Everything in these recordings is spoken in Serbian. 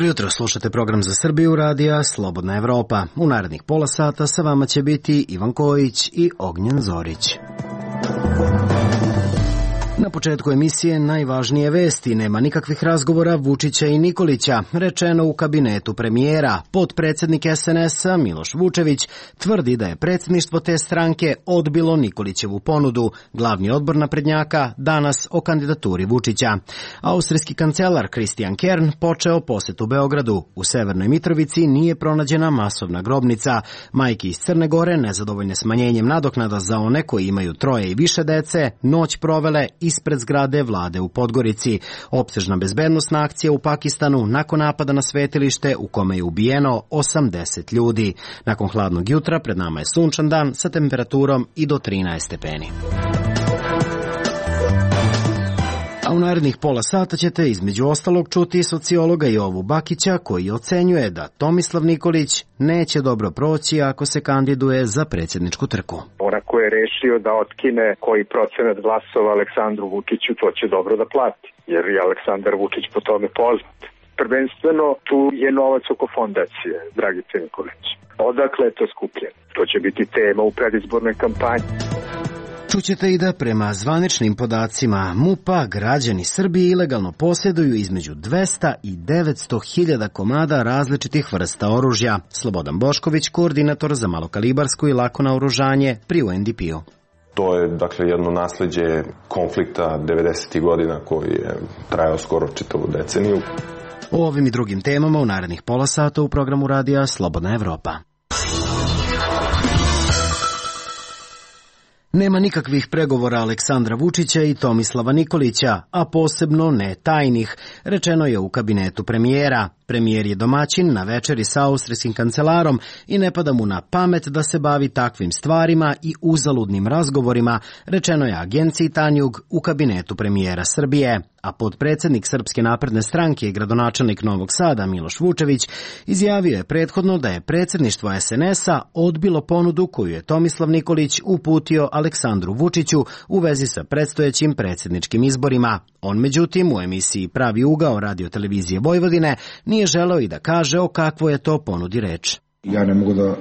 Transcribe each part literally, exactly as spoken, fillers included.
Dobro jutro, slušate program za Srbiju radija Slobodna Evropa. U narednih pola sata sa vama će biti Ivan Kojić i Ognjen Zorić. Na početku emisije najvažnije vesti. Nema nikakvih razgovora Vučića i Nikolića, rečeno u kabinetu premijera. Potpredsednik es en es-a Miloš Vučević tvrdi da je predsjedništvo te stranke odbilo Nikolićevu ponudu. Glavni odbor naprednjaka danas o kandidaturi Vučića. Austrijski kancelar Christian Kern počeo posetu Beogradu. U Severnoj Mitrovici nije pronađena masovna grobnica. Majke iz Crne Gore, nezadovoljne smanjenjem nadoknada za one koji imaju troje i više dece, noć provele ispred zgrade vlade u Podgorici. Opsežna bezbednosna akcija u Pakistanu nakon napada na svetilište u kome je ubijeno osamdeset ljudi. Nakon hladnog jutra pred nama je sunčan dan sa temperaturom i do trinaest stepeni. A u narednih pola sata ćete između ostalog čuti sociologa Jovu Bakića koji ocenjuje da Tomislav Nikolić neće dobro proći ako se kandiduje za predsjedničku trku. Onako je rešio da otkine koji procenat glasova Aleksandru Vučiću, to će dobro da plati, jer je Aleksandar Vučić po tome poznat. Prvenstveno tu je novac oko fondacije, Dragice Nikolić. Odakle je to skupljeno? To će biti tema u predizbornoj kampanji. Čućete i da prema zvaničnim podacima MUP-a građani Srbije ilegalno posjeduju između dvesta i devetsto hiljada komada različitih vrsta oružja. Slobodan Bošković, koordinator za malokalibarsku i lako naoružanje pri U N D P-u. To je dakle jedno nasleđe konflikta devedesetih godina koji je trajao skoro čitavu deceniju. O ovim i drugim temama u narednih pola sata u programu radija Slobodna Evropa. Nema nikakvih pregovora Aleksandra Vučića i Tomislava Nikolića, a posebno ne tajnih, rečeno je u kabinetu premijera. Premijer je domaćin na večeri sa austrijskim kancelarom i ne pada mu na pamet da se bavi takvim stvarima i uzaludnim razgovorima, rečeno je agenciji Tanjug u kabinetu premijera Srbije. A potpredsednik Srpske napredne stranke i gradonačelnik Novog Sada Miloš Vučević izjavio je prethodno da je predsjedništvo es en es-a odbilo ponudu koju je Tomislav Nikolić uputio Aleksandru Vučiću u vezi sa predstojećim predsjedničkim izborima. On međutim u emisiji Pravi ugao radiotelevizije Vojvodine nije želeo i da kaže o kakvoj je to ponudi reč. Ja ne mogu da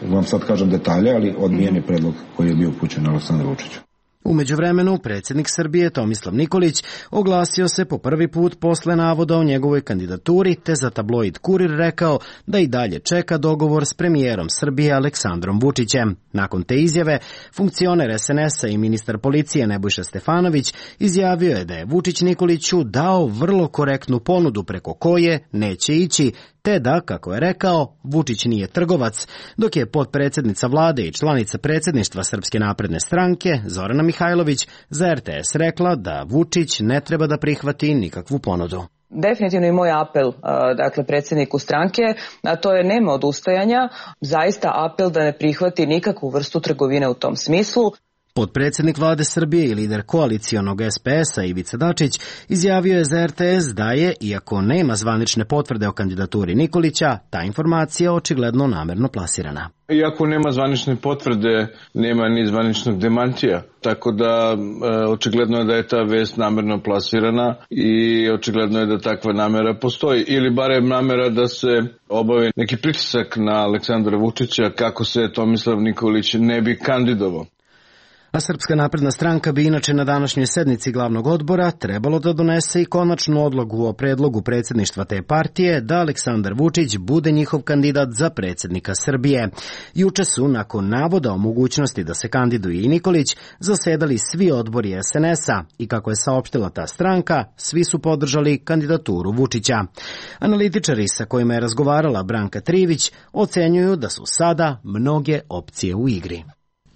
vam sad kažem detalje, ali odbijen je predlog koji je bio upućen Aleksandru Vučiću. U međuvremenu, predsjednik Srbije Tomislav Nikolić oglasio se po prvi put posle navoda o njegovoj kandidaturi, te za tabloid Kurir rekao da i dalje čeka dogovor s premijerom Srbije Aleksandrom Vučićem. Nakon te izjave, funkcioner es en es-a i ministar policije Nebojša Stefanović izjavio je da je Vučić Nikoliću dao vrlo korektnu ponudu preko koje neće ići, te da, kako je rekao, Vučić nije trgovac, dok je potpredsjednica vlade i članica predsjedništva Srpske napredne stranke Zorana Mihajlović za er te es rekla da Vučić ne treba da prihvati nikakvu ponudu. Definitivno i moj apel, dakle, predsjedniku stranke, a to je nema odustajanja, zaista apel da ne prihvati nikakvu vrstu trgovine u tom smislu. Potpredsjednik vlade Srbije i lider koalicijonog es pe es-a Ivica Dačić izjavio je za er te es da je, iako nema zvanične potvrde o kandidaturi Nikolića, ta informacija očigledno namerno plasirana. Iako nema zvanične potvrde, nema ni zvaničnog demantija, tako da e, očigledno je da je ta vest namerno plasirana i očigledno je da takva namera postoji, ili barem namera da se obavi neki pritisak na Aleksandra Vučića kako se Tomislav Nikolić ne bi kandidovao. A Srpska napredna stranka bi inače na današnjoj sednici glavnog odbora trebalo da donese i konačnu odluku o predlogu predsjedništva te partije da Aleksandar Vučić bude njihov kandidat za predsjednika Srbije. Juče su, nakon navoda o mogućnosti da se kandiduje i Nikolić, zasedali svi odbori es en es-a i kako je saopštila ta stranka, svi su podržali kandidaturu Vučića. Analitičari sa kojima je razgovarala Branka Trivić ocenjuju da su sada mnoge opcije u igri.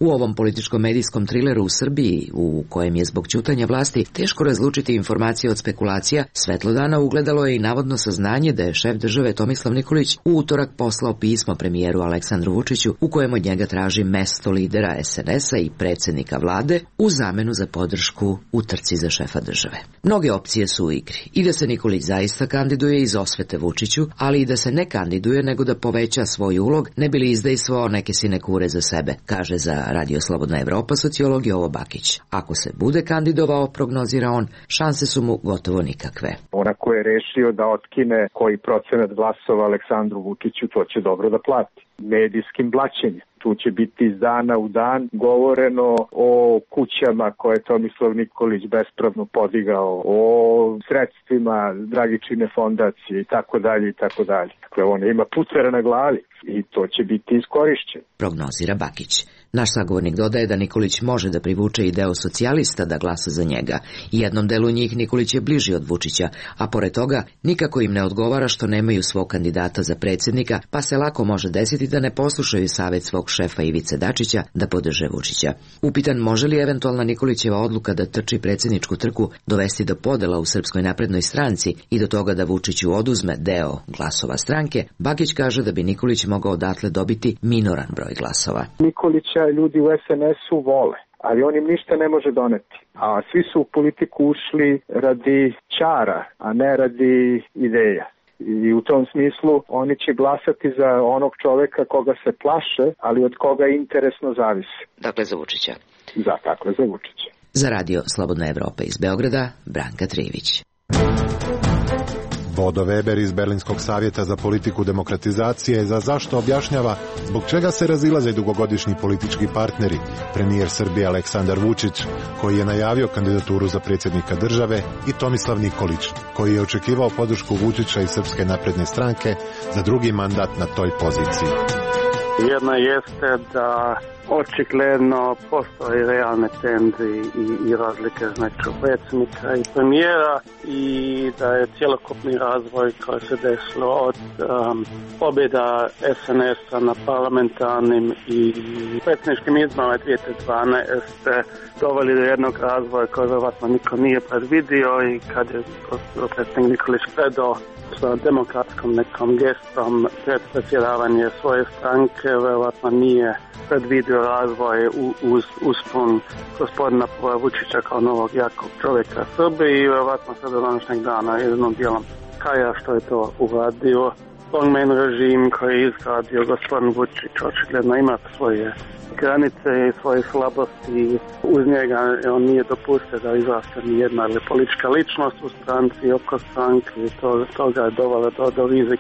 U ovom političko-medijskom trileru u Srbiji, u kojem je zbog ćutanja vlasti teško razlučiti informacije od spekulacija, svetlo dana ugledalo je i navodno saznanje da je šef države Tomislav Nikolić u utorak poslao pismo premijeru Aleksandru Vučiću u kojem od njega traži mesto lidera es en es-a i predsjednika vlade u zamenu za podršku u trci za šefa države. Mnoge opcije su u igri. I da se Nikolić zaista kandiduje iz osvete Vučiću, ali i da se ne kandiduje nego da poveća svoj ulog, ne bi li izdejstvovao neke sinekure za sebe, kaže za Radio Slobodna Evropa sociolog Jovo Bakić. Ako se bude kandidovao, prognozira on, šanse su mu gotovo nikakve. Ona ko je rešio da otkine koji procenat glasova Aleksandru Vučiću, to će dobro da plati. Medijskim blaćenjem. Tu će biti iz dana u dan govoreno o kućama koje je Tomislav Nikolić bespravno podigao, o sredstvima Dragičine fondacije i tako dalje i tako dalje. Dakle, on ima pucera na glavi i to će biti iskorišćeno. Prognozira Bakić. Naš sagovornik dodaje da Nikolić može da privuče i deo socijalista da glasa za njega. Jednom delu njih Nikolić je bliži od Vučića, a pored toga nikako im ne odgovara što nemaju svog kandidata za predsjednika, pa se lako može desiti da ne poslušaju savjet svog šefa Ivice Dačića da podrže Vučića. Upitan može li eventualna Nikolićeva odluka da trči predsjedničku trku dovesti do podela u Srpskoj naprednoj stranci i do toga da Vučiću oduzme deo glasova stranke, Bakić kaže da bi Nikolić mogao odatle dobiti minoran broj glasova. Nikolića ljudi u es en esu vole, ali on im ništa ne može doneti. A svi su u politiku ušli radi ćara, a ne radi ideja. I u tom smislu oni će glasati za onog čoveka koga se plaše, ali od koga interesno zavisi. Dakle, za Vučića. Za, dakle, za Vučića. Za Radio Slobodna Evropa iz Beograda, Branka Trivić. Bodo Weber iz Berlinskog savjeta za politiku demokratizacije za zašto objašnjava zbog čega se razilaze dugogodišnji politički partneri, premijer Srbije Aleksandar Vučić, koji je najavio kandidaturu za predsjednika države, i Tomislav Nikolić, koji je očekivao podršku Vučića i Srpske napredne stranke za drugi mandat na toj poziciji. Jedna jeste da očigledno postoje realne tenzije i, i razlike između predsjednika i premijera i da je cjelokupni razvoj koji se desilo od um, pobjeda es en esa na parlamentarnim i predsjedničkim izborima dvije tisuće dvanaeste doveli do jednog razvoja koji vjerovatno niko nije predvidio i kad je predsjednik Nikolić predao sa demokratskom nekom gestom pred predsjedavanje svoje stranke, vjerovatno nije predvidio razvoj uz uspon gospodina Vučića kao novog jakog čovjeka Srbije i vjerovatno se do današnjeg dana jednom dijelom kaja što je to uradio. Strongman režim koji je izgradio gospodin Vučić očigledno ima svoje granice i svoje slabosti. Uz njega on nije dopustio da izraste nijedna politička ličnost u stranci i oko stranke i to, toga je dovelo do, do rizik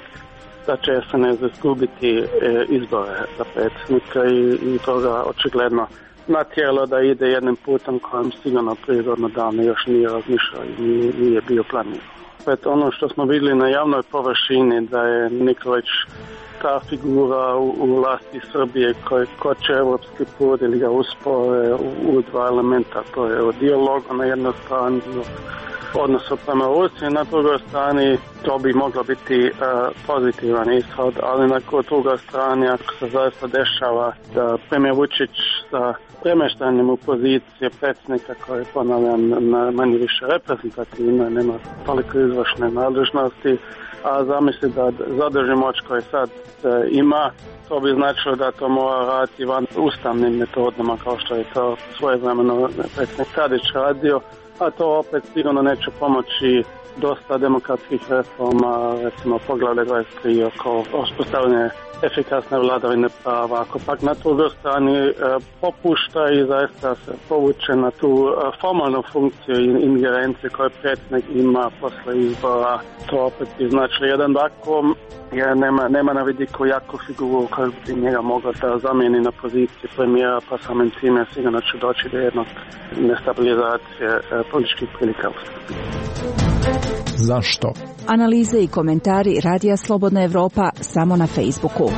da će es en es izgubiti e, izbore za predsjednika i, i toga očigledno natjeralo da ide jednim putem kojem sigurno prirodno davno još nije razmišljao i nije, nije bio planirao. Opet ono što smo vidjeli na javnoj površini da je Nikolić ta figura u, u vlasti Srbije koji koče evropski put ili ga uspore u, u dva elementa, to je o dijalogu na jednoj strani, odnosu prema Rusiji, na drugoj strani to bi moglo biti uh, pozitivan ishod, ali na drugoj strani ako se zaista dešava da premijer Vučić sa premještanjem u pozicije predsjednika koje ponavljam na manje više reprezentativne, nema toliko izvršne nadležnosti, a zamisli da zadrži moć koje sad e, ima, to bi značilo da to mora raditi van ustavnim metodama kao što je to svojevremeno predsjednik Tadić radio, a to opet sigurno neće pomoći dosta demokratskih reforma, recimo poglavlje dvadeset tri oko uspostavljanja efikasne vladavine prava. Ako pak na drugoj strani e, popušta i zaista se povuče na tu e, formalnu funkciju i ingerencije koje predsjednik ima posle izbora, to opet bi značilo jedan vakuum jer nema, nema na vidiku jaku figuru koja bi njega mogla da zamijeni na poziciji premijera, pa samim time sigurno će doći do jednog nestabilizacije e, političkih prilika u Srbiji. Zašto? Analize i komentari Radija Slobodna Evropa samo na Facebooku.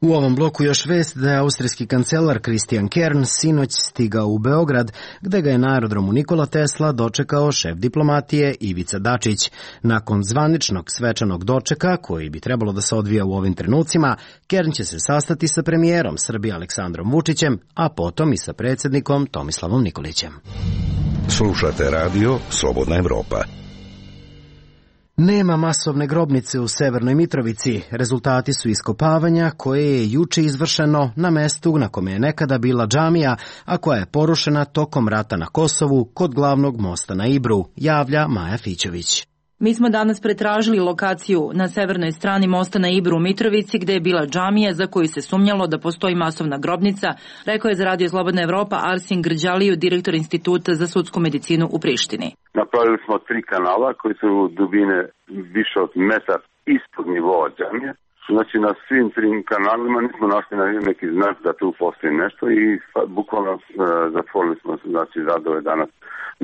U ovom bloku još vest da je austrijski kancelar Christian Kern sinoć stigao u Beograd, gde ga je na aerodromu Nikola Tesla dočekao šef diplomatije Ivica Dačić. Nakon zvaničnog svečanog dočeka, koji bi trebalo da se odvija u ovim trenucima, Kern će se sastati sa premijerom Srbije Aleksandrom Vučićem, a potom i sa predsjednikom Tomislavom Nikolićem. Slušate radio Slobodna Evropa. Nema masovne grobnice u Severnoj Mitrovici. Rezultati su iskopavanja koje je juče izvršeno na mestu na kome je nekada bila džamija, a koja je porušena tokom rata na Kosovu kod glavnog mosta na Ibru, javlja Maja Fićović. Mi smo danas pretražili lokaciju na severnoj strani mosta na Ibru u Mitrovici gde je bila džamija za koju se sumnjalo da postoji masovna grobnica, rekao je za Radio Slobodna Evropa Arsin Grđaliju, direktor Instituta za sudsku medicinu u Prištini. Napravili smo tri kanala koji su dubine više od metar ispod nivoa džamije. Znači na svim trim kanalima nismo našli neki znak da tu postoji nešto i bukvalno uh, zatvorili smo znači radove danas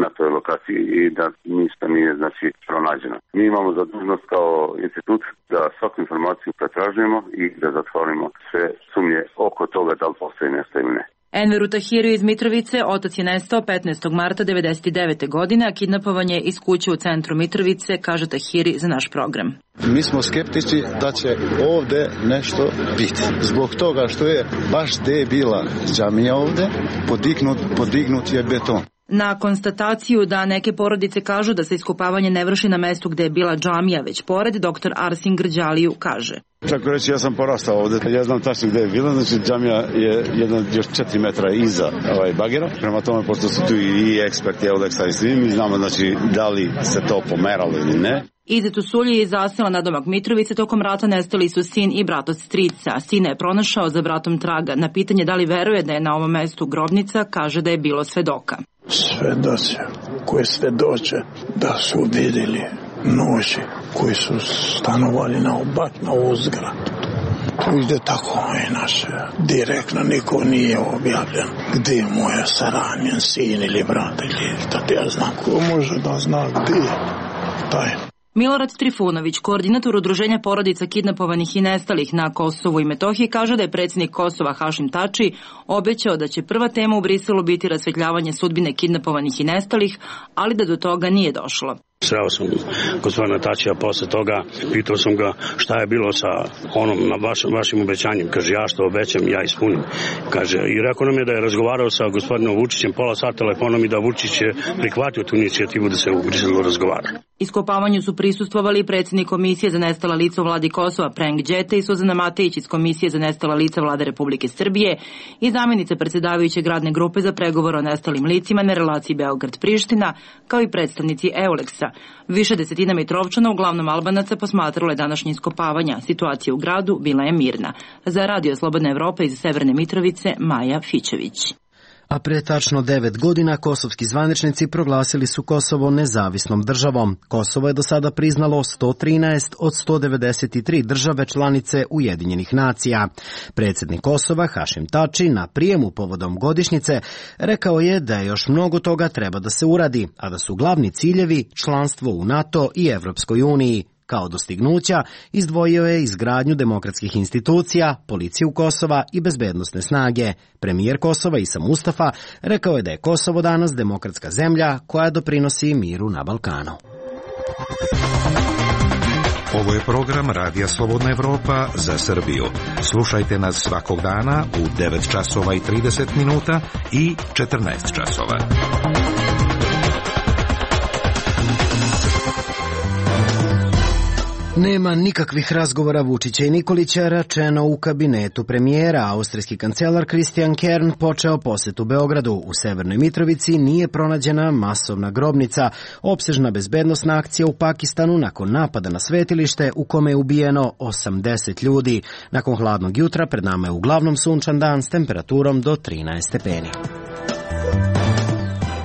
na toj lokaciji i da ništa nije znači pronađeno. Mi imamo zadužnost kao institut da svaku informaciju pretražujemo i da zatvorimo sve sumnje oko toga da li postoji nešto ili ne. Enveru Tahiriju iz Mitrovice otac je nestao petnaestog marta devedeset devete. godine, a kidnapovan je iz kuće u centru Mitrovice, kaže Tahiri za naš program. Mi smo skeptici da će ovde nešto biti. Zbog toga što je baš gde je bila džamija ovde, podignut, podignut je beton. Na konstataciju da neke porodice kažu da se iskopavanje ne vrši na mestu gde je bila džamija, već pored, doktor Arsin Grđaliju kaže. Tako reći, ja sam porastao ovde, ja znam tačno gde je bila, znači džamija je jedna još četiri metra iza ovaj bagera, prema tome, pošto su tu i eksperti, eodeksa i svi, mi znamo znači da li se to pomeralo ili ne. Izet u Sulji je zasela na domak Mitrovice, tokom rata nestali su sin i brat od strica. Sina je pronašao, za bratom traga. Na pitanje da li veruje da je na ovom mestu grobnica, kaže da je bilo svedoka. Svedoci koji svedoče da su vidjeli noći koji su stanovali na obat na uzgradu. To ide tako i naše. Direktno niko nije objavljen gdje je moja saranjen sin ili brat ili da ja znam. Ko može da zna gdje je taj? Milorad Trifunović, koordinator udruženja porodica kidnapovanih i nestalih na Kosovu i Metohiji, kaže da je predsjednik Kosova Hašim Tači obećao da će prva tema u Briselu biti rasvetljavanje sudbine kidnapovanih i nestalih, ali da do toga nije došlo. Sreo sam gospodina Tačija posle toga, pitao sam ga šta je bilo sa onom vaš, vašim obećanjem. Kaže, ja što obećam, ja ispunim. Kaže, i rekao nam je da je razgovarao sa gospodinom Vučićem pola sata telefonom i da Vučić je prihvatio tu inicijativu da se u Briselu razgovara. Iskopavanju su prisustvovali predsjednik Komisije za nestala lica u vladi Kosova Prenk Đete i Suzana Matejić iz Komisije za nestala lica vlade Republike Srbije i zamjenica predsjedavajućeg radne grupe za pregovor o nestalim licima na relaciji Beograd-Priština, kao i predstavnici Euleksa. Više desetina Mitrovčana, uglavnom Albanaca, posmatralo je današnje iskopavanja. Situacija u gradu bila je mirna. Za Radio Slobodna Evropa iz Severne Mitrovice, Maja Fićević. A pre tačno devet godina kosovski zvaničnici proglasili su Kosovo nezavisnom državom. Kosovo je do sada priznalo sto trinaest od sto devedeset tri države članice Ujedinjenih nacija. Predsjednik Kosova Hašim Tači na prijemu povodom godišnjice rekao je da je još mnogo toga treba da se uradi, a da su glavni ciljevi članstvo u NATO i Evropskoj uniji. Kao dostignuća izdvojio je izgradnju demokratskih institucija, policiju Kosova i bezbednosne snage. Premijer Kosova Isa Mustafa rekao je da je Kosovo danas demokratska zemlja koja doprinosi miru na Balkanu. Ovo je program Radija Slobodna Evropa za Srbiju. Slušajte nas svakog dana u devet časova i trideset minuta i četrnaest časova. Nema nikakvih razgovora Vučića i Nikolića, rečeno u kabinetu premijera. Austrijski kancelar Christian Kern počeo posetu Beogradu. U Severnoj Mitrovici nije pronađena masovna grobnica. Opsežna bezbednosna akcija u Pakistanu nakon napada na svetilište u kome je ubijeno osamdeset ljudi. Nakon hladnog jutra pred nama je uglavnom sunčan dan s temperaturom do trinaest stepeni.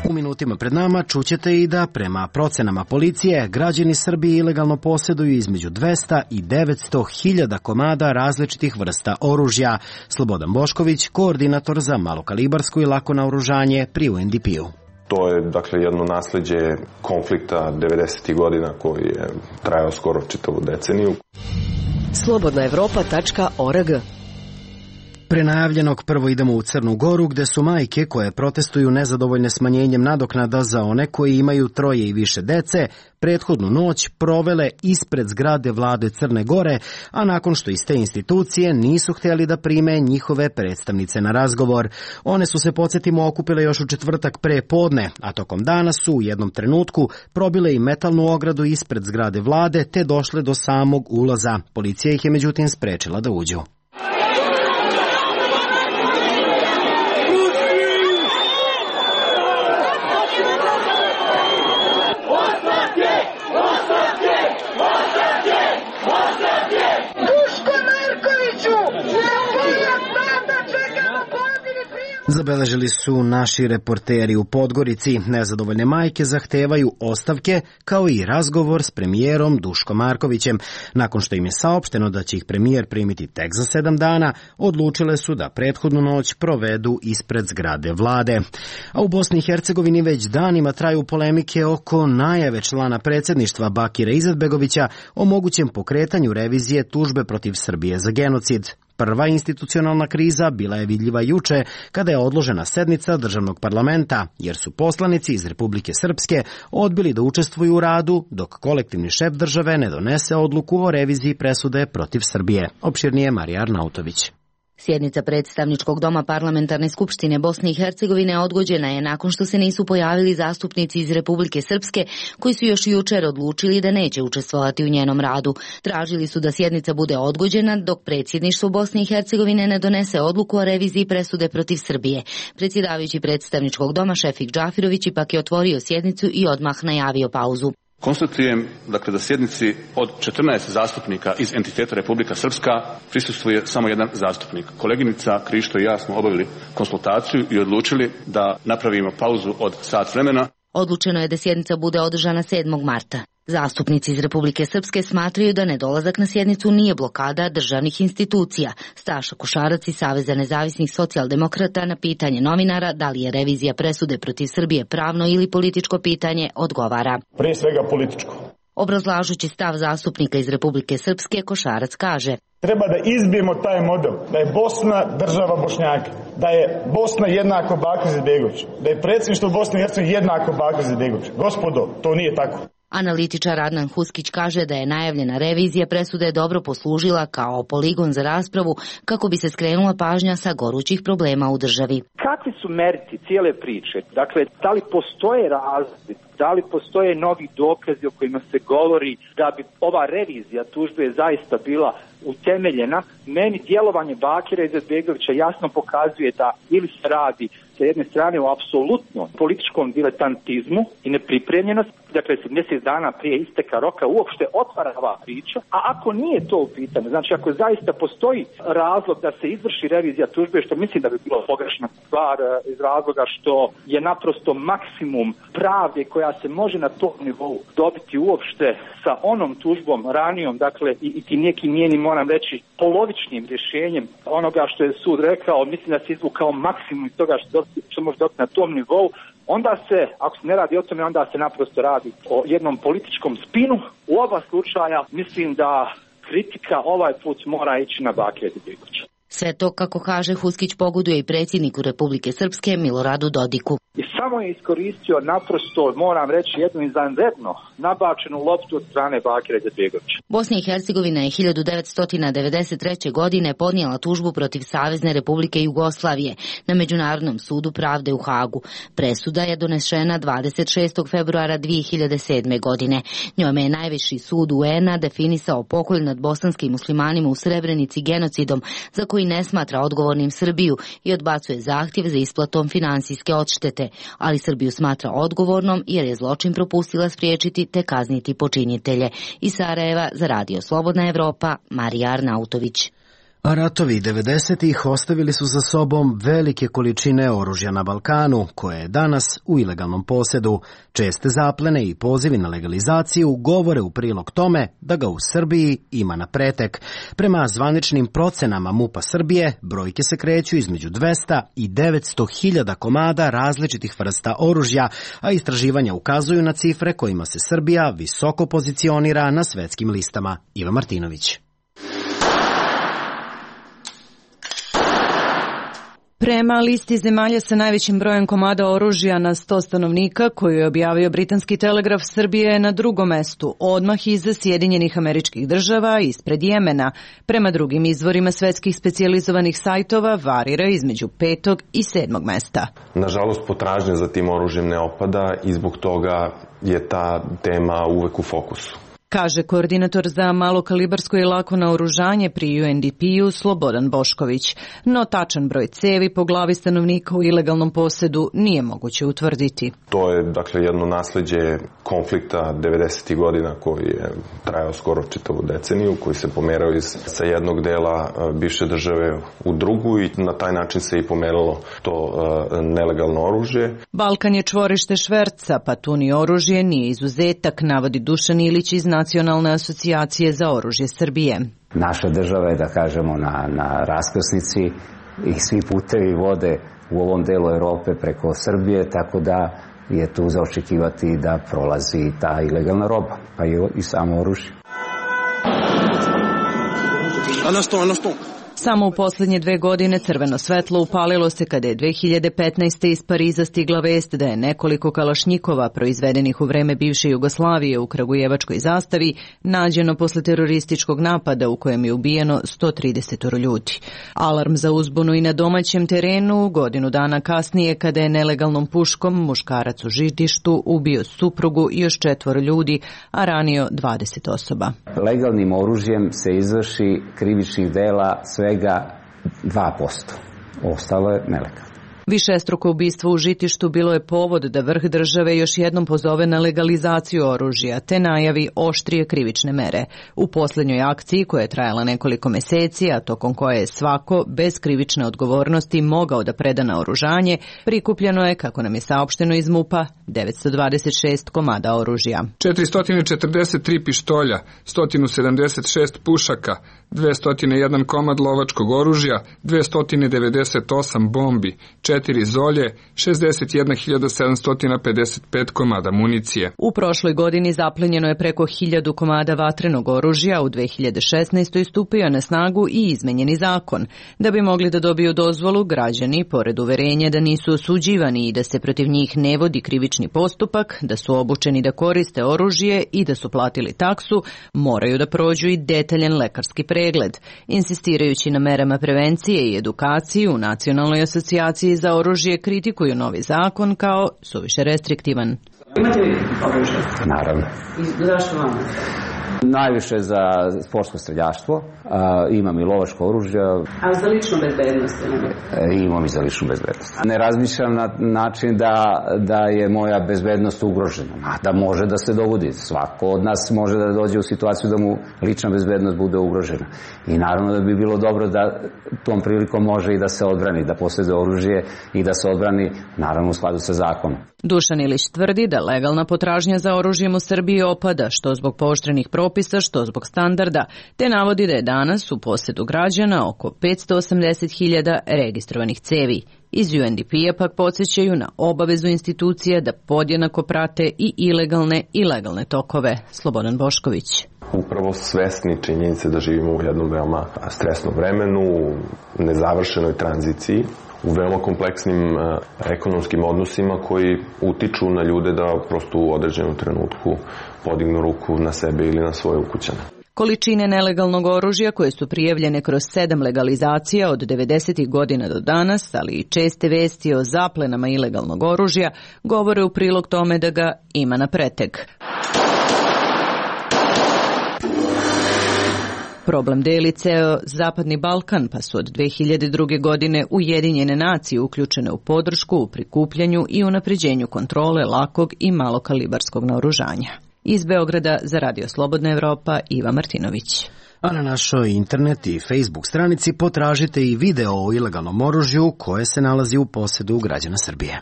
U minutima pred nama čućete i da prema procenama policije građani Srbije ilegalno posjeduju između dvesta i devetsto hiljada komada različitih vrsta oružja. Slobodan Bošković, koordinator za malokalibarsko i lako naoružanje pri U N D P-u. To je dakle jedno nasleđe konflikta devedesetih godina koji je trajao skoro čitavu deceniju. slobodna evropa tačka org. Prenajavljenog prvo idemo u Crnu Goru, gde su majke koje protestuju nezadovoljne smanjenjem nadoknada za one koji imaju troje i više dece, prethodnu noć provele ispred zgrade vlade Crne Gore, a nakon što iz te institucije nisu htjeli da prime njihove predstavnice na razgovor. One su se, podsjetimo, okupile još u četvrtak pre podne, a tokom dana su u jednom trenutku probile i metalnu ogradu ispred zgrade vlade te došle do samog ulaza. Policija ih je međutim sprečila da uđu. zabeležili su naši reporteri u Podgorici. Nezadovoljne majke zahtevaju ostavke kao i razgovor s premijerom Duškom Markovićem. Nakon što im je saopšteno da će ih premijer primiti tek za sedam dana, odlučile su da prethodnu noć provedu ispred zgrade vlade. A u Bosni i Hercegovini već danima traju polemike oko najave člana predsjedništva Bakira Izetbegovića o mogućem pokretanju revizije tužbe protiv Srbije za genocid. Prva institucionalna kriza bila je vidljiva juče kada je odložena sednica državnog parlamenta, jer su poslanici iz Republike Srpske odbili da učestvuju u radu dok kolektivni šef države ne donese odluku o reviziji presude protiv Srbije. Opširnije Marija Arnautović. Sjednica predstavničkog doma Parlamentarne skupštine Bosne i Hercegovine odgođena je nakon što se nisu pojavili zastupnici iz Republike Srpske koji su još jučer odlučili da neće učestvovati u njenom radu. Tražili su da sjednica bude odgođena dok predsjedništvo Bosne i Hercegovine ne donese odluku o reviziji presude protiv Srbije. Predsjedavajući predstavničkog doma Šefik Džafirović ipak je otvorio sjednicu i odmah najavio pauzu. Konstatujem, dakle, da sjednici od četrnaest zastupnika iz entiteta Republika Srpska prisustvuje samo jedan zastupnik. Koleginica Krišto i ja smo obavili konsultaciju i odlučili da napravimo pauzu od sat vremena. Odlučeno je da sjednica bude održana sedmog marta. Zastupnici iz Republike Srpske smatraju da nedolazak na sjednicu nije blokada državnih institucija. Staša Košarac iz Saveza nezavisnih socijaldemokrata na pitanje novinara da li je revizija presude protiv Srbije pravno ili političko pitanje odgovara. Prije svega političko. Obrazlažući stav zastupnika iz Republike Srpske, Košarac kaže: treba da izbijemo taj model, da je Bosna država Bošnjaka, da je Bosna jednako Bakir Izetbegović, da je predsjedništvo Bosne i Hercegovine jednako Bakir Izetbegović. Gospodo, to nije tako. Analitičar Adnan Huskić kaže da je najavljena revizija presude dobro poslužila kao poligon za raspravu kako bi se skrenula pažnja sa gorućih problema u državi. Kakvi su meriti cijele priče? Dakle, da li postoje razlozi, da li postoje novi dokazi o kojima se govori da bi ova revizija tužbe zaista bila utemeljena? Meni djelovanje Bakira Izetbegovića jasno pokazuje da ili se radi sa jedne strane o apsolutno političkom diletantizmu i nepripremljenost, dakle se mjesec dana prije isteka roka uopšte otvara ova priča, a ako nije to u pitanju, znači ako zaista postoji razlog da se izvrši revizija tužbe, što mislim da bi bilo pogrešna stvar iz razloga što je naprosto maksimum pravde koja se može na tom nivou dobiti uopšte sa onom tužbom ranijom, dakle i, i ti nekim njenim, moram reći, polovičnim rješenjem onoga što je sud rekao, mislim da se izvukao maksimum iz toga što, što može dobiti na tom nivou, onda se, ako se ne radi o tome, onda se naprosto radi o jednom političkom spinu. U oba slučaja mislim da kritika ovaj put mora ići na Bakira Izetbegovića. Sve to, kako kaže Huskić, pogoduje i predsjedniku Republike Srpske Miloradu Dodiku. I samo je iskoristio naprosto, moram reći, jednu izvanredno nabačenu loptu od strane Bakira Izetbegovića. Bosna i Hercegovina je hiljadu devetsto devedeset treće. godine podnijela tužbu protiv Savezne Republike Jugoslavije na Međunarodnom sudu pravde u Hagu. Presuda je donešena dvadeset šestog februara dvije hiljade sedme. godine. Njome je najviši sud U N A definisao pokolj nad bosanskim muslimanima u Srebrenici genocidom za koji ne smatra odgovornim Srbiju i odbacuje zahtjev za isplatom finansijske odštete, ali Srbiju smatra odgovornom jer je zločin propustila spriječiti te kazniti počinitelje. Iz Sarajeva za Radio Slobodna Evropa, Marija Arnautović. A ratovi devedesetih ostavili su za sobom velike količine oružja na Balkanu, koje je danas u ilegalnom posjedu. Česte zaplene i pozivi na legalizaciju govore u prilog tome da ga u Srbiji ima na pretek. Prema zvaničnim procenama MUP-a Srbije, brojke se kreću između dvesta i devetsto hiljada komada različitih vrsta oružja, a istraživanja ukazuju na cifre kojima se Srbija visoko pozicionira na svetskim listama. Iva Martinović. Prema listi zemalja sa najvećim brojem komada oružja na sto stanovnika, koju je objavio britanski telegraf, Srbija je na drugom mestu, odmah iza Sjedinjenih Američkih Država, ispred Jemena. Prema drugim izvorima svetskih specijalizovanih sajtova varira između petog i sedmog mesta. Nažalost, potražnja za tim oružjem ne opada i zbog toga je ta tema uvek u fokusu. kaže koordinator za malokalibarsko i lako naoružanje pri U N D P-u Slobodan Bošković. No tačan broj cevi po glavi stanovnika u ilegalnom posedu nije moguće utvrditi. To je dakle jedno nasleđe konflikta devedesetih godina koji je trajao skoro čitavu deceniju, koji se pomerao iz sa jednog dela bivše države u drugu i na taj način se i pomeralo to uh, nelegalno oružje. Balkan je čvorište šverca, pa tu ni oružje nije izuzetak, navodi Dušan Ilić iz Nacionalne asocijacije za oružje Srbije. Naša država je, da kažemo, na, na raskrsnici i svi putevi vode u ovom delu Evrope preko Srbije, tako da je tu za očekivati da prolazi ta ilegalna roba, pa i, i samo oružje. Samo u posljednje dve godine crveno svetlo upalilo se kada je dve hiljade petnaeste. iz Pariza stigla vest da je nekoliko kalašnjikova proizvedenih u vreme bivše Jugoslavije u kragujevačkoj zastavi nađeno posle terorističkog napada u kojem je ubijeno sto trideset ljudi. Alarm za uzbunu i na domaćem terenu godinu dana kasnije kada je nelegalnom puškom muškarac u Žitištu ubio suprugu i još četvoro ljudi, a ranio dvadeset osoba. Legalnim oružjem se izvrši krivičnih dela svega dva posto. Ostalo je nelegalno. Višestruko ubistvo u Žitištu bilo je povod da vrh države još jednom pozove na legalizaciju oružja, te najavi oštrije krivične mere. U posljednjoj akciji, koja je trajala nekoliko meseci, a tokom koje je svako bez krivične odgovornosti mogao da preda naoružanje, prikupljeno je, kako nam je saopšteno iz MUP-a, devetsto dvadeset šest komada oružja. četiristo četrdeset tri pištolja, sto sedamdeset šest pušaka, dvesta jedan komad lovačkog oružja, dvesta devedeset osam bombi, četiri zolje, šezdeset jedna hiljada sedamsto pedeset pet komada municije. U prošloj godini zaplenjeno je preko hiljadu komada vatrenog oružja, u dve hiljade šesnaestoj. stupio na snagu i izmenjeni zakon. Da bi mogli da dobiju dozvolu, građani, pored uverenja da nisu osuđivani i da se protiv njih ne vodi krivični postupak, da su obučeni da koriste oružje i da su platili taksu, moraju da prođu i detaljan lekarski pregled. Insistirajući na merama prevencije i edukaciji u Nacionalnoj asocijaciji za oružje kritikuju novi zakon kao suviše restriktivan. Imate li oružje? Naravno. I zašto vam? Najviše za sportsko streljaštvo, a, imam i lovačko oružje. A za ličnu bezbednost? E, imam i za ličnu bezbednost. Ne razmišljam na način da, da je moja bezbednost ugrožena, a da može da se dogodi. Svako od nas može da dođe u situaciju da mu lična bezbednost bude ugrožena. I naravno da bi bilo dobro da tom prilikom može i da se odbrani, da posjeduje oružje i da se odbrani, naravno u skladu sa zakonom. Dušan Ilić tvrdi da legalna potražnja za oružjem u Srbiji opada, što zbog pooštrenih propisa, što zbog standarda, te navodi da je danas u posjedu građana oko petsto osamdeset hiljada registrovanih cevi. Iz U N D P-a pak podsjećaju na obavezu institucija da podjednako prate i ilegalne i legalne tokove. Slobodan Bošković. Upravo svesni činjenice da živimo u jednom veoma stresnom vremenu, u nezavršenoj tranziciji, u veoma kompleksnim uh, ekonomskim odnosima koji utiču na ljude da prosto u određenom trenutku podignu ruku na sebe ili na svoje ukućane. Količine nelegalnog oružja koje su prijavljene kroz sedam legalizacija od devedesetih godina do danas, ali i česte vesti o zaplenama ilegalnog oružja, govore u prilog tome da ga ima na pretek. Problem deli ceo Zapadni Balkan, pa su od dve hiljade druge. godine Ujedinjene nacije uključene u podršku u prikupljanju i unapređenju kontrole lakog i malokalibarskog naoružanja. Iz Beograda za Radio Slobodna Evropa, Iva Martinović. A na našoj internet i Facebook stranici potražite i video o ilegalnom oružju koje se nalazi u posjedu građana Srbije.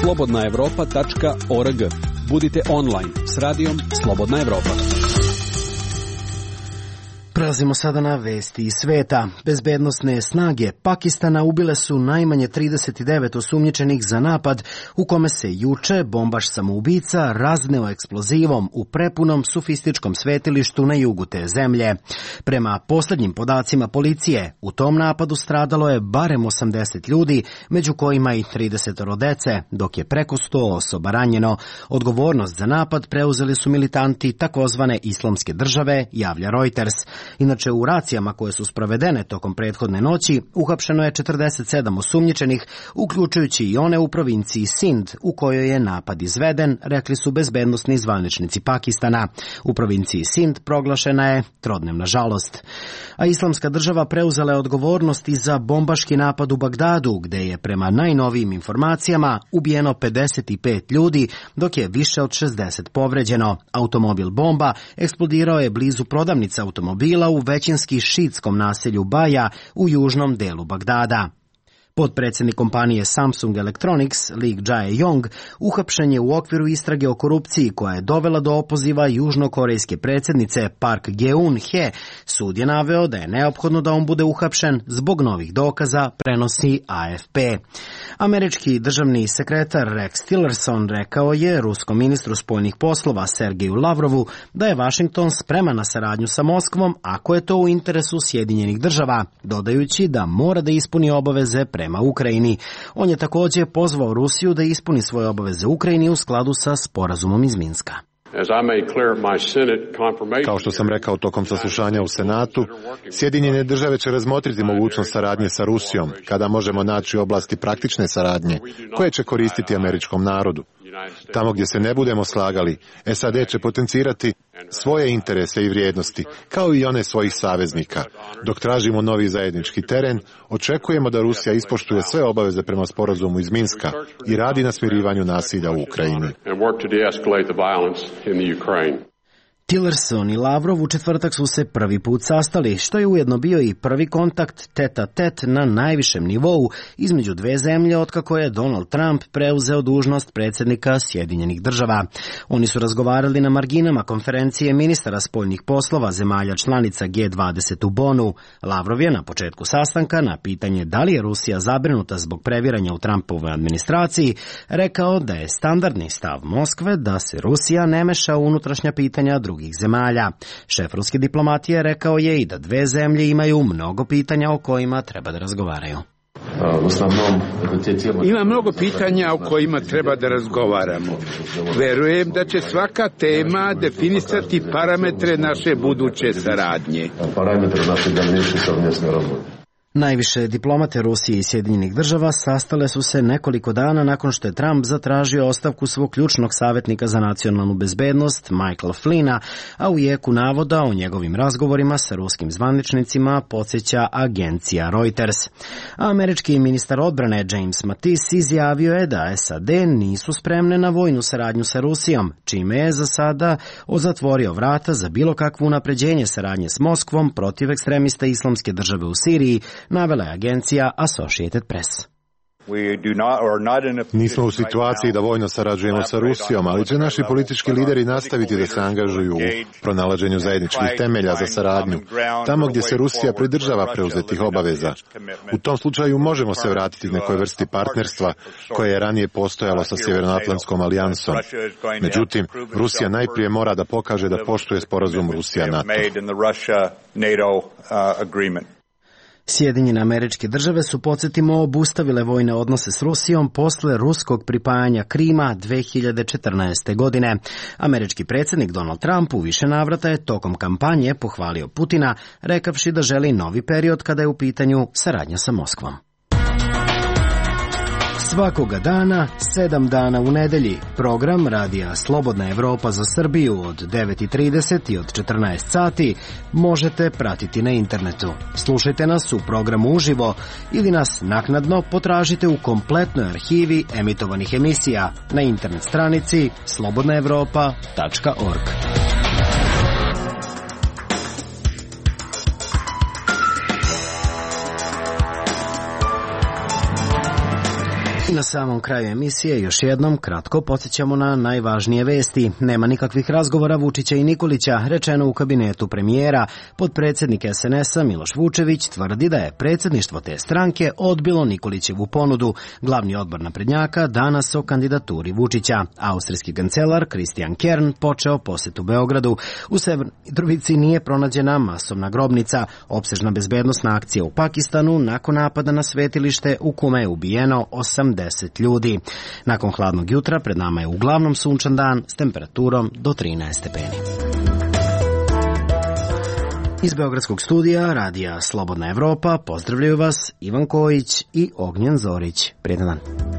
slobodna evropa tačka org. Budite online s radijom Slobodna Evropa. Prelazimo sada na vesti iz sveta. Bezbednosne snage Pakistana ubile su najmanje trideset devet osumnjičenih za napad u kome se juče bombaš samoubica razneo eksplozivom u prepunom sofističkom svetilištu na jugu te zemlje. Prema poslednjim podacima policije, u tom napadu stradalo je barem osamdeset ljudi, među kojima i trideset dece, dok je preko sto osoba ranjeno. Odgovornost za napad preuzeli su militanti takozvane Islamske države, javlja Reuters. Inače, u racijama koje su sprovedene tokom prethodne noći uhapšeno je četrdeset sedam osumnjičenih, uključujući i one u provinciji Sind, u kojoj je napad izveden, rekli su bezbednosni zvaničnici Pakistana. U provinciji Sind proglašena je trodnevna žalost. A Islamska država preuzela je odgovornost i za bombaški napad u Bagdadu, gde je prema najnovijim informacijama ubijeno pedeset pet ljudi, dok je više od šezdeset povređeno. Automobil bomba eksplodirao je blizu prodavnice automobila u većinski šiitskom naselju Baja u južnom delu Bagdada. Potpredsjednik kompanije Samsung Electronics, Lee Jae-yong, uhapšen je u okviru istrage o korupciji koja je dovela do opoziva južnokorejske predsjednice Park Geun-hye. Sud je naveo da je neophodno da on bude uhapšen zbog novih dokaza, prenosi A F P. Američki državni sekretar Rex Tillerson rekao je ruskom ministru spoljnih poslova Sergeju Lavrovu da je Washington spreman na saradnju sa Moskvom ako je to u interesu Sjedinjenih država, dodajući da mora da ispuni obaveze prema prema Ukrajini. On je također pozvao Rusiju da ispuni svoje obaveze Ukrajini u skladu sa sporazumom iz Minska. Kao što sam rekao tokom saslušanja u Senatu, Sjedinjene države će razmotriti mogućnost saradnje sa Rusijom, kada možemo naći oblasti praktične saradnje, koje će koristiti američkom narodu. Tamo gdje se ne budemo slagali, S A D će potencirati svoje interese i vrijednosti, kao i one svojih saveznika. Dok tražimo novi zajednički teren, očekujemo da Rusija ispoštuje sve obaveze prema sporazumu iz Minska i radi na smirivanju nasilja u Ukrajini. Tillerson i Lavrov u četvrtak su se prvi put sastali, što je ujedno bio i prvi kontakt tet-a-tet na najvišem nivou između dve zemlje otkako je Donald Trump preuzeo dužnost predsjednika Sjedinjenih država. Oni su razgovarali na marginama konferencije ministara spoljnih poslova zemalja članica G dvadeset u Bonu. Lavrov je na početku sastanka na pitanje da li je Rusija zabrinuta zbog previranja u Trumpovoj administraciji rekao da je standardni stav Moskve da se Rusija ne meša u unutrašnja pitanja drugih zemalja. Šef ruske diplomatije rekao je i da dve zemlje imaju mnogo pitanja o kojima treba da razgovaraju. Ima mnogo pitanja o kojima treba da razgovaramo. Verujem da će svaka tema definisati parametre naše buduće saradnje. Najviše diplomate Rusije i Sjedinjenih država sastale su se nekoliko dana nakon što je Trump zatražio ostavku svog ključnog savjetnika za nacionalnu bezbednost, Michaela Flynna, a u jeku navoda o njegovim razgovorima sa ruskim zvaničnicima podsjeća agencija Reuters. A američki ministar odbrane James Mattis izjavio je da S A D nisu spremne na vojnu saradnju sa Rusijom, čime je za sada zatvorio vrata za bilo kakvo unapređenje saradnje s Moskvom protiv ekstremista Islamske države u Siriji, navela je agencija Associated Press. Nismo u situaciji da vojno sarađujemo sa Rusijom, ali će naši politički lideri nastaviti da se angažuju u pronalaženju zajedničkih temelja za saradnju, tamo gdje se Rusija pridržava preuzetih obaveza. U tom slučaju možemo se vratiti nekoj vrsti partnerstva koje je ranije postojalo sa Sjevernoatlantskom alijansom. Međutim, Rusija najprije mora da pokaže da poštuje sporazum Rusija-NATO. Sjedinjene Američke države su, podsjetimo, obustavile vojne odnose s Rusijom posle ruskog pripajanja Krima dve hiljade četrnaeste. godine. Američki predsjednik Donald Trump u više navrata je tokom kampanje pohvalio Putina, rekavši da želi novi period kada je u pitanju saradnja sa Moskvom. Svakoga dana, sedam dana u nedelji, program Radija Slobodna Evropa za Srbiju od devet i trideset i od četrnaest sati možete pratiti na internetu. Slušajte nas u programu uživo ili nas naknadno potražite u kompletnoj arhivi emitovanih emisija na internet stranici slobodna evropa tačka org. I na samom kraju emisije još jednom kratko podsjećamo na najvažnije vesti. Nema nikakvih razgovora Vučića i Nikolića, rečeno u kabinetu premijera. Potpredsjednik S N S-a Miloš Vučević tvrdi da je predsjedništvo te stranke odbilo Nikolićevu ponudu. Glavni odbor naprednjaka danas o kandidaturi Vučića. Austrijski kancelar Christian Kern počeo posjetu Beogradu. U Severnoj Mitrovici nije pronađena masovna grobnica. Opsežna bezbednosna akcija u Pakistanu nakon napada na svetilište u kome je ubijeno osamdeset ljudi. Nakon hladnog jutra pred nama je uglavnom sunčan dan s temperaturom do trinaest stepeni. Iz Beogradskog studija Radija Slobodna Evropa pozdravljaju vas Ivan Kojić i Ognjen Zorić. Prijetan dan.